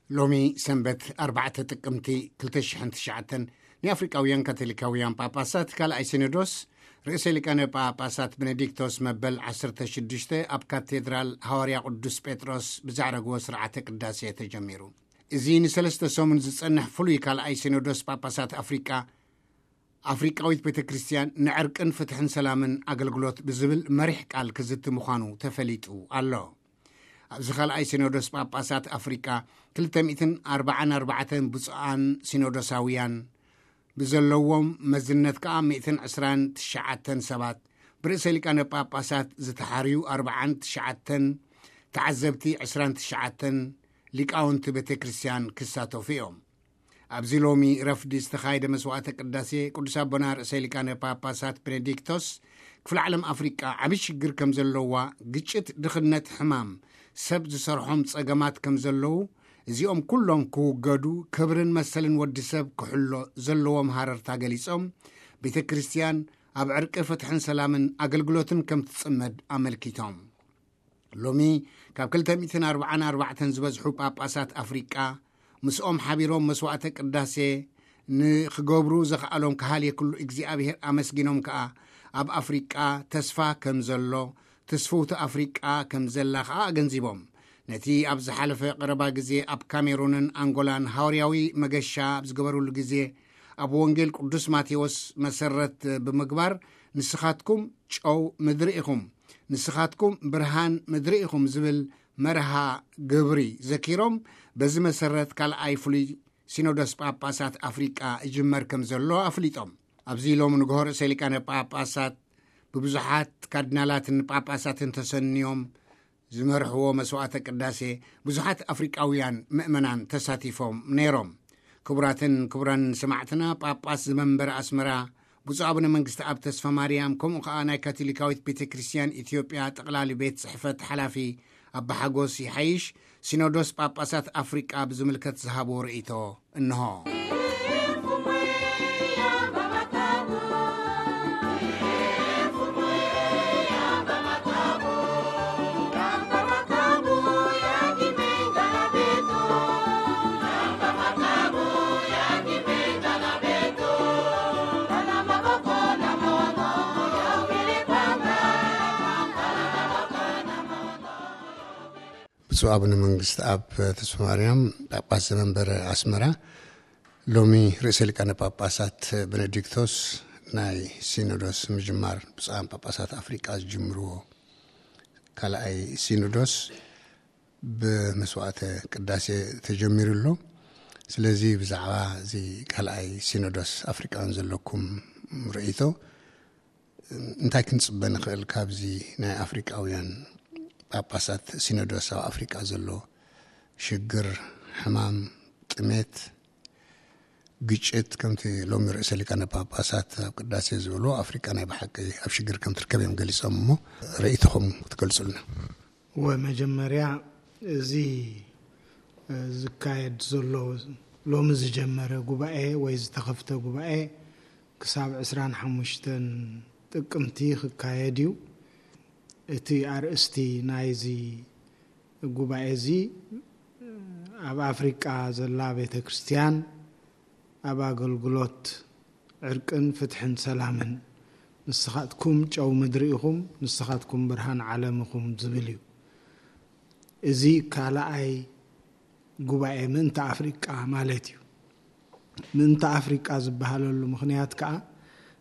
ሎሚ ሰንበት ኣርባዕተ ጥቅምቲ ክልተ ሽሕን ትሽዓተን፣ ናይ ኣፍሪቃውያን ካቶሊካውያን ጳጳሳት ካልኣይ ሲኖዶስ ርእሰ ሊቃነ ጳጳሳት ቤኔዲክቶስ መበል ዓሰርተ ሽዱሽተ ኣብ ካቴድራል ሃዋርያ ቅዱስ ጴጥሮስ ብዛዕረግዎ ስርዓተ ቅዳሴ ተጀሚሩ። እዚ ንሰለስተ ሰሙን ዝጸንሕ ፍሉይ ካልኣይ ሲኖዶስ ጳጳሳት ኣፍሪቃ፣ ኣፍሪቃዊት ቤተ ክርስቲያን ንዕርቅን ፍትሕን ሰላምን ኣገልግሎት ብዝብል መሪሕ ቃል ክዝቲ ምዃኑ ተፈሊጡ ኣሎ። ኣብዚ ካልኣይ ሲኖዶስ ጳጳሳት ኣፍሪቃ ክልተ ሚእትን ኣርባዓን ኣርባዕተን ብፁዓን ሲኖዶሳውያን ብዘለዎም መዝነት ከኣ ሚእትን ዕስራን ትሽዓተን ሰባት፣ ብርእሰ ሊቃነ ጳጳሳት ዝተሓርዩ ኣርባዓን ትሽዓተን፣ ተዓዘብቲ ዕስራን ትሽዓተን፣ ሊቃውንቲ ቤተ ክርስቲያን ክሳተፉ እዮም። ኣብዚ ሎሚ ረፍዲ ዝተኻየደ መስዋዕተ ቅዳሴ ቅዱስ ኣቦና ርእሰ ሊቃነ ጳጳሳት ቤኔዲክቶስ፣ ክፍለ ዓለም ኣፍሪቃ ዓቢ ሽግር ከም ዘለዋ፣ ግጭት፣ ድኽነት፣ ሕማም፣ ሰብ ዝሰርሖም ጸገማት ከም ዘለዉ፣ እዚኦም ኩሎም ክውገዱ፣ ክብርን መሰልን ወዲ ሰብ ክሕሎ ዘለዎም ሃረርታ ገሊጾም፣ ቤተ ክርስቲያን ኣብ ዕርቂ፣ ፍትሕን ሰላምን ኣገልግሎትን ከም ትጽመድ ኣመልኪቶም። ሎሚ ካብ ክልተ ሚእትን ኣርባዓን ኣርባዕተን ዝበዝሑ ጳጳሳት ኣፍሪቃ ምስኦም ሓቢሮም መስዋዕተ ቅዳሴ ንኽገብሩ ዘኽኣሎም ከሃልየ ኩሉ እግዚኣብሔር ኣመስጊኖም ከኣ፣ ኣብ ኣፍሪቃ ተስፋ ከም ዘሎ፣ ትስፍውቲ ኣፍሪቃ ከም ዘላ ከኣ ኣገንዚቦም። ነቲ ኣብ ዝሓለፈ ቀረባ ግዜ ኣብ ካሜሩንን ኣንጎላን ሃዋርያዊ መገሻ ኣብ ዝገበሩሉ ግዜ፣ ኣብ ወንጌል ቅዱስ ማቴዎስ መሰረት ብምግባር፣ "ንስኻትኩም ጨው ምድሪ ኢኹም፣ ንስኻትኩም ብርሃን ምድሪ ኢኹም" ዝብል መርሃ ግብሪ ዘኪሮም፣ በዚ መሰረት ካልኣይ ፍሉይ ሲኖዶስ ጳጳሳት ኣፍሪቃ ይጅመር ከም ዘሎ ኣፍሊጦም። ኣብዚ ሎሚ ንግሆ ርእሰ ሊቃነ ጳጳሳት ብብዙሓት ካርዲናላትን ጳጳሳትን ተሰንዮም ዝመርሕዎ መስዋዕተ ቅዳሴ ብዙሓት ኣፍሪቃውያን ምእመናን ተሳቲፎም ነይሮም። ክቡራትን ክቡራን ሰማዕትና፣ ጳጳስ ዘመንበረ ኣስመራ ብፁዕ ኣቡነ መንግስቲ ኣብ ተስፋ ማርያም፣ ከምኡ ከኣ ናይ ካቶሊካዊት ቤተ ክርስቲያን ኢትዮጵያ ጠቕላሊ ቤት ጽሕፈት ሓላፊ ኣባ ሓጎስ ይሓይሽ፣ ሲኖዶስ ጳጳሳት ኣፍሪቃ ብዝምልከት ዝሃብዎ ርእይቶ እንሆ። ብፁዕ ኣቡነ መንግስቲ ኣብ ተስፋ ማርያም ጳጳስ ዘመንበረ ኣስመራ፣ ሎሚ ርእሰ ሊቃነ ጳጳሳት ቤኔዲክቶስ ናይ ሲኖዶስ ምጅማር፣ ብፁዓን ጳጳሳት ኣፍሪቃ ዝጅምርዎ ካልኣይ ሲኖዶስ ብመስዋዕተ ቅዳሴ ተጀሚሩ ኣሎ። ስለዚ ብዛዕባ እዚ ካልኣይ ሲኖዶስ ኣፍሪቃን ዘለኩም ርእይቶ እንታይ ክንጽበ ንኽእል ካብዚ ናይ ኣፍሪቃውያን ጳጳሳት ሲኖዶስ ኣብ ኣፍሪቃ ዘሎ ሽግር፣ ሕማም፣ ጥሜት፣ ግጭት፣ ከምቲ ሎሚ ርእሰ ሊቃነ ጳጳሳት ኣብ ቅዳሴ ዝበልዎ፣ ኣፍሪቃ ናይ ብሓቂ ኣብ ሽግር ከም ትርከብ እዮም ገሊጾም። እሞ ርእይቶኹም ክትገልጹልና። ወመጀመርያ፣ እዚ ዝካየድ ዘሎ፣ ሎሚ ዝጀመረ ጉባኤ ወይ ዝተኸፍተ ጉባኤ ክሳብ ዕስራን ሓሙሽተን ጥቅምቲ ክካየድ እዩ። እቲ ኣርእስቲ ናይዚ ጉባኤ እዚ፣ ኣብ ኣፍሪቃ ዘላ ቤተ ክርስቲያን ኣብ ኣገልግሎት ዕርቅን ፍትሕን ሰላምን፣ ንስኻትኩም ጨው ምድሪ ኢኹም፣ ንስኻትኩም ብርሃን ዓለም ኢኹም ዝብል እዩ። እዚ ካልኣይ ጉባኤ ምእንቲ ኣፍሪቃ ማለት እዩ። ምእንቲ ኣፍሪቃ ዝበሃለሉ ምኽንያት ከኣ፣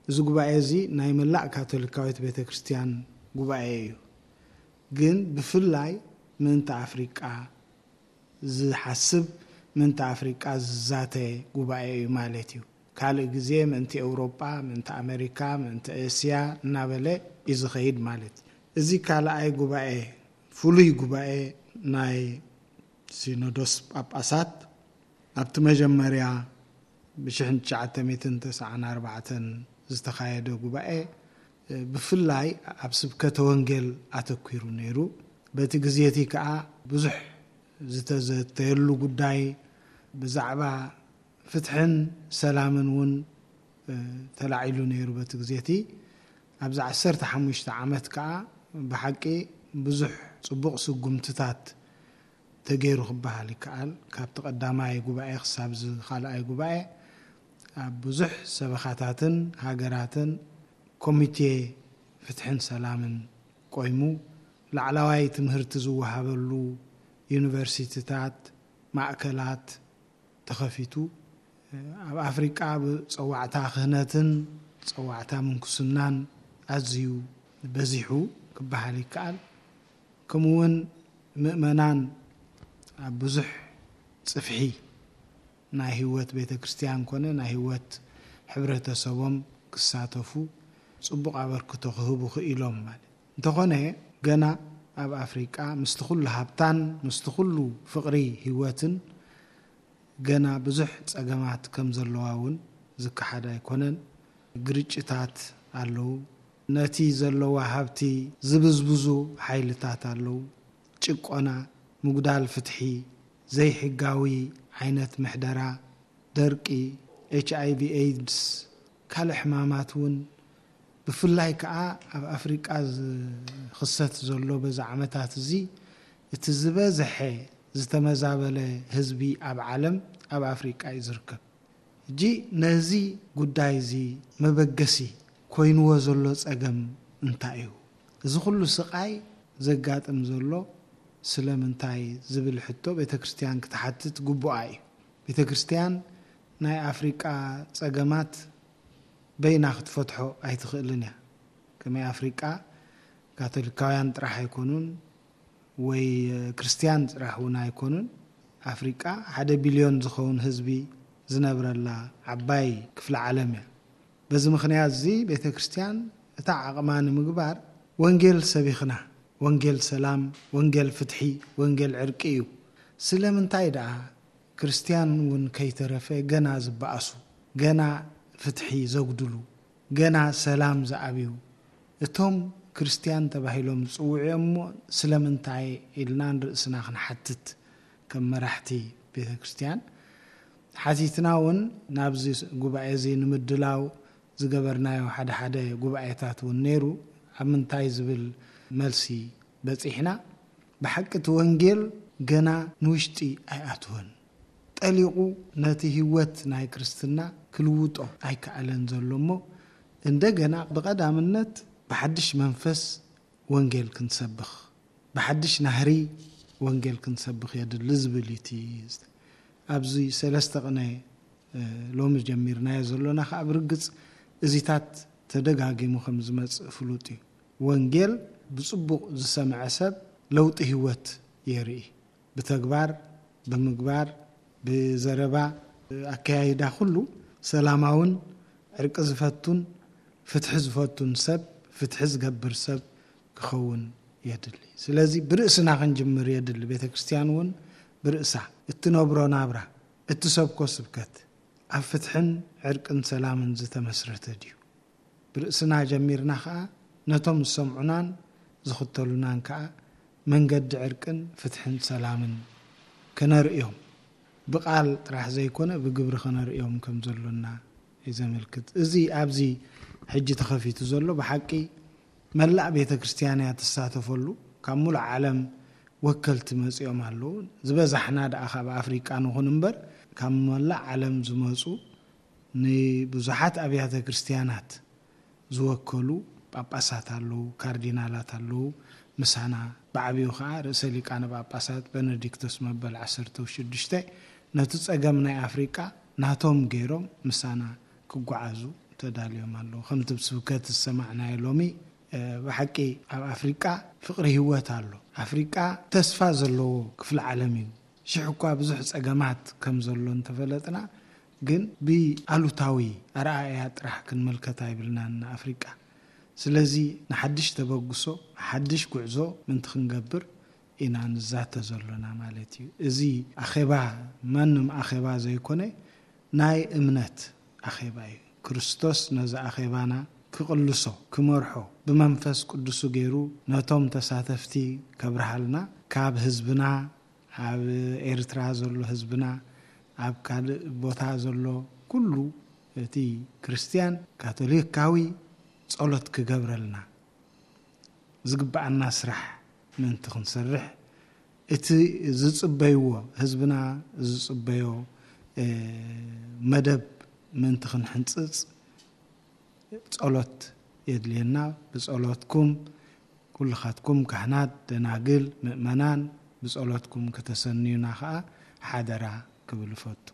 እዚ ጉባኤ እዚ ናይ መላእ ካቶሊካዊት ቤተ ክርስቲያን ጉባኤ እዩ። ግን ብፍላይ ምእንቲ ኣፍሪቃ ዝሓስብ፣ ምእንቲ ኣፍሪቃ ዝዛተ ጉባኤ እዩ ማለት እዩ። ካልእ ግዜ ምእንቲ ኤውሮጳ፣ ምእንቲ ኣመሪካ፣ ምእንቲ እስያ እናበለ እዩ ዝኸይድ ማለት እዩ። እዚ ካልኣይ ጉባኤ፣ ፍሉይ ጉባኤ ናይ ሲኖዶስ ጳጳሳት፣ ኣብቲ መጀመርያ ብሽሕን ትሽዓተ ሚእትን ተስዓን ኣርባዕተን ዝተኻየደ ጉባኤ፣ ብፍላይ ኣብ ስብከተ ወንጌል ኣተኲሩ ነይሩ። በቲ ግዜ እቲ ከኣ ብዙሕ ዝተዘተየሉ ጉዳይ ብዛዕባ ፍትሕን ሰላምን እውን፣ እ፣ ተላዒሉ ነይሩ በቲ ግዜ እቲ። ኣብዚ ዓሰርተ ሓሙሽተ ዓመት ከኣ ብሓቂ ብዙሕ ጽቡቕ ስጉምትታት ተገይሩ ክበሃል ይከኣል። ካብቲ ቀዳማይ ጉባኤ ክሳብ እዚ ካልኣይ ጉባኤ ኣብ ብዙሕ ሰበኻታትን ሃገራትን ኮሚቴ ፍትሕን ሰላምን ቆይሙ፣ ላዕለዋይ ትምህርቲ ዝወሃበሉ ዩኒቨርሲቲታት፣ ማእከላት ተኸፊቱ፣ ኣብ ኣፍሪቃ ብጸዋዕታ ክህነትን ጸዋዕታ ምንኩስናን ኣዝዩ በዚሑ ክበሃል ይከኣል። ከምኡውን ምእመናን ኣብ ብዙሕ ጽፍሒ ናይ ህይወት ቤተ ክርስቲያን ኮነ ናይ ህይወት ሕብረተሰቦም ክሳተፉ ጽቡቕ ኣበርክቶ ክህቡ ክኢሎም ማለት። እንተኾነ ገና ኣብ ኣፍሪቃ ምስቲ ኩሉ ሃብታን ምስቲ ኩሉ ፍቕሪ ህይወትን ገና ብዙሕ ጸገማት ከም ዘለዋ እውን ዝከሓድ ኣይኮነን። ግርጭታት ኣለዉ። ነቲ ዘለዋ ሃብቲ ዝብዝብዙ ሓይልታት ኣለዉ። ጭቆና፣ ምጉዳል ፍትሒ፣ ዘይሕጋዊ ዓይነት ምሕደራ፣ ደርቂ፣ ኤች ኣይ ቪ ኤድስ፣ ካልእ ሕማማት እውን ብፍላይ ከኣ ኣብ ኣፍሪቃ ዝኽሰት ዘሎ በዚ ዓመታት እዚ እቲ ዝበዝሐ ዝተመዛበለ ህዝቢ ኣብ ዓለም ኣብ ኣፍሪቃ እዩ ዝርከብ። ሕጂ ነዚ ጉዳይ እዚ መበገሲ ኮይንዎ ዘሎ ጸገም እንታይ እዩ? እዚ ኩሉ ስቓይ ዘጋጥም ዘሎ ስለምንታይ ዝብል ሕቶ ቤተ ክርስቲያን ክትሓትት ግቡኣ እዩ። ቤተ ክርስቲያን ናይ ኣፍሪቃ ጸገማት በይና ክትፈትሖ ኣይትኽእልን እያ። ከመይ ኣፍሪቃ ካቶሊካውያን ጥራሕ ኣይኮኑን ወይ ክርስቲያን ጥራሕ እውን ኣይኮኑን። ኣፍሪቃ ሓደ ቢልዮን ዝኸውን ህዝቢ ዝነብረላ ዓባይ ክፍለ ዓለም እያ። በዚ ምኽንያት እዚ ቤተ ክርስቲያን እታ ዓቕማ ንምግባር ወንጌል ሰቢኽና፣ ወንጌል ሰላም፣ ወንጌል ፍትሒ፣ ወንጌል ዕርቂ እዩ። ስለምንታይ ደኣ ክርስቲያን እውን ከይተረፈ ገና ዝበኣሱ፣ ገና ፍትሒ ዘጉድሉ፣ ገና ሰላም ዝኣብዩ፣ እቶም ክርስቲያን ተባሂሎም ዝጽውዑ እዮም እሞ ስለምንታይ ኢልና ንርእስና ክንሓትት ከም መራሕቲ ቤተ ክርስቲያን ሓቲትና እውን ናብዚ ጉባኤ እዚ ንምድላው ዝገበርናዮ ሓደ ሓደ ጉባኤታት እውን ነይሩ። ኣብ ምንታይ ዝብል መልሲ በጺሕና። ብሓቂ እቲ ወንጌል ገና ንውሽጢ ኣይኣትወን። ጠሊቑ ነቲ ህይወት ናይ ክርስትና ክልውጦ ኣይከኣለን ዘሎ እሞ እንደገና ብቐዳምነት ብሓድሽ መንፈስ ወንጌል ክንሰብኽ፣ ብሓድሽ ናህሪ ወንጌል ክንሰብኽ የድሊ ዝብል እዩ እቲ ኣብዚ ሰለስተ ቅነ እ፣ ሎሚ ጀሚርናዮ ዘሎና ከኣ ብርግጽ እዚታት ተደጋጊሙ ከም ዝመጽእ ፍሉጥ እዩ። ወንጌል ብጽቡቕ ዝሰምዐ ሰብ ለውጢ ህይወት የርኢ። ብተግባር፣ ብምግባር፣ ብዘረባ፣ ኣከያይዳ ኩሉ ሰላማውን ዕርቂ ዝፈቱን ፍትሒ ዝፈቱን ሰብ፣ ፍትሒ ዝገብር ሰብ ክኸውን የድሊ። ስለዚ ብርእስና ክንጅምር የድሊ። ቤተ ክርስቲያን እውን ብርእሳ እትነብሮ ናብራ፣ እትሰብኮ ስብከት ኣብ ፍትሕን ዕርቅን ሰላምን ዝተመስረተ ድዩ? ብርእስና ጀሚርና ኸኣ ነቶም ዝሰምዑናን ዝኽተሉናን ከኣ መንገዲ ዕርቅን ፍትሕን ሰላምን ከነርእዮም፣ ብቓል ጥራሕ ዘይኮነ ብግብሪ ከነርእዮም ከም ዘሎና እዩ ዘመልክት። እዚ ኣብዚ ሕጂ ተኸፊቱ ዘሎ ብሓቂ መላእ ቤተ ክርስቲያን እያ ትሳተፈሉ። ካብ ሙሉእ ዓለም ወከልቲ መጺኦም ኣለዉ። ዝበዛሕና ደኣ ካብ ኣፍሪቃ ንኹን እምበር ካብ መላእ ዓለም ዝመጹ ንብዙሓት ኣብያተ ክርስቲያናት ዝወከሉ ጳጳሳት ኣለዉ፣ ካርዲናላት ኣለዉ። ምሳና ብዓቢኡ ኸዓ ርእሰ ሊቃነ ጳጳሳት በነዲክቶስ መበል ዓሰርተ ሽዱሽተ ነቲ ጸገም ናይ ኣፍሪቃ ናቶም ገይሮም ምሳና ክጓዓዙ ተዳልዮም ኣለዉ። ከምቲ ብስብከት ዝሰማዕናዮ ሎሚ፣ እ፣ ብሓቂ ኣብ ኣፍሪቃ ፍቕሪ ህይወት ኣሎ። ኣፍሪቃ ተስፋ ዘለዎ ክፍለ ዓለም እዩ። ሽሕ እኳ ብዙሕ ጸገማት ከም ዘሎ እንተፈለጥና፣ ግን ብኣሉታዊ ኣረኣእያ ጥራሕ ክንምልከት ኣይብልናን ንኣፍሪቃ። ስለዚ ንሓድሽ ተበግሶ፣ ሓድሽ ጉዕዞ ምንቲ ክንገብር ኢና ንዛተ ዘሎና ማለት እዩ። እዚ ኣኼባ ማንም ኣኼባ ዘይኮነ፣ ናይ እምነት ኣኼባ እዩ። ክርስቶስ ነዚ ኣኼባና ክቕልሶ፣ ክመርሖ፣ ብመንፈስ ቅዱሱ ገይሩ ነቶም ተሳተፍቲ ከብርሃልና፣ ካብ ህዝብና፣ ኣብ ኤርትራ ዘሎ ህዝብና፣ ኣብ ካልእ ቦታ ዘሎ ኩሉ እቲ ክርስትያን ካቶሊካዊ ጸሎት ክገብረልና፣ ዝግብኣና ስራሕ ምእንቲ ክንሰርሕ እቲ ዝጽበይዎ፣ ህዝብና ዝጽበዮ መደብ ምእንቲ ክንሕንጽጽ ጸሎት የድልየና። ብጸሎትኩም ኩልኻትኩም ካህናት፣ ደናግል፣ ምእመናን ብጸሎትኩም ከተሰንዩና ኸኣ ሓደራ ክብል እፈቱ።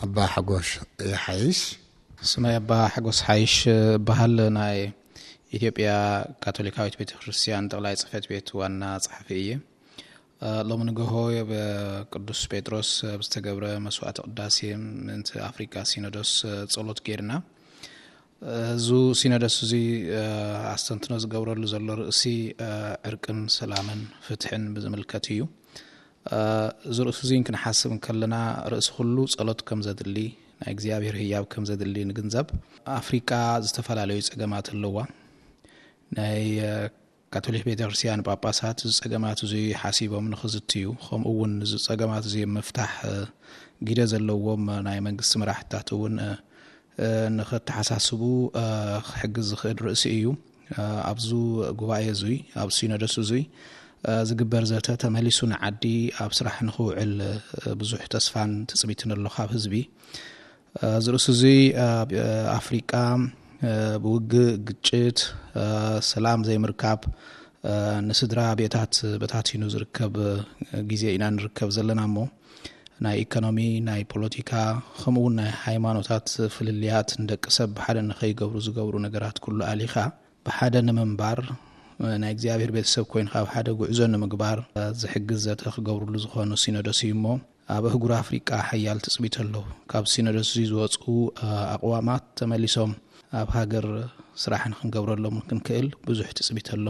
ኣባ ሓጎስ ይሓይሽ። ስመይ ኣባ ሓጎስ ሓይሽ እበሃል። ናይ ኢትዮጵያ ካቶሊካዊት ቤተ ክርስቲያን ጠቕላይ ጽሕፈት ቤት ዋና ጸሓፊ እየ። ሎሚ ንግሆ ብቅዱስ ጴጥሮስ ብዝተገብረ መስዋዕተ ቅዳሴ ምእንቲ ኣፍሪካ ሲኖዶስ ጸሎት ጌርና። እዚ ሲኖዶስ እዚ ኣስተንትኖ ዝገብረሉ ዘሎ ርእሲ ዕርቅን ሰላምን ፍትሕን ብዝምልከት እዩ። እዚ ርእሲ እዚ ክንሓስብ እንከለና ርእሲ ኩሉ ጸሎት ከም ዘድሊ፣ ናይ እግዚኣብሔር ህያብ ከም ዘድሊ ንግንዘብ። ኣፍሪቃ ዝተፈላለዩ ጸገማት ኣለዋ። ናይ ካቶሊክ ቤተክርስትያን ጳጳሳት እዚ ጸገማት እዚ ሓሲቦም ንኽዝትዩ፣ ከምኡ እውን እዚ ጸገማት እዚ ምፍታሕ ግደ ዘለዎም ናይ መንግስቲ መራሕትታት እውን ንኸተሓሳስቡ ክሕግዝ ዝኽእል ርእሲ እዩ። ኣብዚ ጉባኤ እዙይ፣ ኣብ ሲኖዶስ እዙይ ዝግበር ዘተ ተመሊሱ ንዓዲ ኣብ ስራሕ ንኽውዕል ብዙሕ ተስፋን ትጽቢትን ኣሎ ካብ ህዝቢ። እዚ ርእሲ እዙይ ኣብ ኣፍሪቃ ብውግእ፣ ግጭት፣ ሰላም ዘይምርካብ፣ ንስድራ ቤታት በታቲኑ ዝርከብ ግዜ ኢና ንርከብ ዘለና እሞ፣ ናይ ኢኮኖሚ፣ ናይ ፖለቲካ፣ ከምኡ እውን ናይ ሃይማኖታት ፍልልያት ንደቂ ሰብ ብሓደ ንኸይገብሩ ዝገብሩ ነገራት ኩሉ ኣሊኻ ብሓደ ንምንባር፣ ናይ እግዚኣብሔር ቤተሰብ ኮይንካ ኣብ ሓደ ጉዕዞ ንምግባር ዝሕግዝ ዘተ ክገብርሉ ዝኾኑ ሲኖዶስ እዩ እሞ፣ ኣብ ኣህጉር ኣፍሪቃ ሓያል ትጽቢት ኣሎ። ካብ ሲኖዶስ እዚ ዝወፁ ኣቕዋማት ተመሊሶም ኣብ ሃገር ስራሕ ንክንገብረሎም ክንክእል ብዙሕ ትጽቢት ኣሎ።